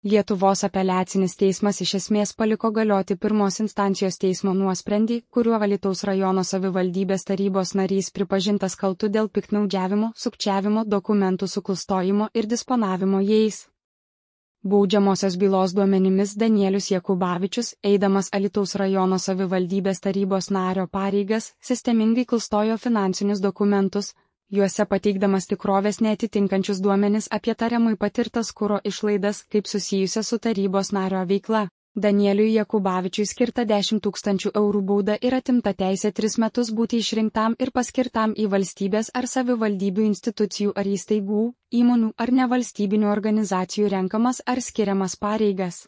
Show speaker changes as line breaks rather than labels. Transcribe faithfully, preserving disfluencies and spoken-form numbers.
Lietuvos apeliacinis teismas iš esmės paliko galioti pirmos instancijos teismo nuosprendį, kuriuo Alytaus rajono savivaldybės tarybos narys pripažintas kaltu dėl piktnaudžiavimo, sukčiavimo, dokumentų suklastojimo ir disponavimo jais. Baudžiamosios bylos duomenimis Danielius Jakubavičius, eidamas Alytaus rajono savivaldybės tarybos nario pareigas, sistemingai klastojo finansinius dokumentus, juose pateikdamas tikrovės neatitinkančius duomenis apie tariamai patirtas kuro išlaidas, kaip susijusias su tarybos nario veikla. Danieliui Jakubavičiui skirta dešimt tūkstančių eurų bauda ir atimta teisė tris metus būti išrinktam ir paskirtam į valstybės ar savivaldybių institucijų ar įstaigų, įmonių ar nevalstybinių organizacijų renkamas ar skiriamas pareigas.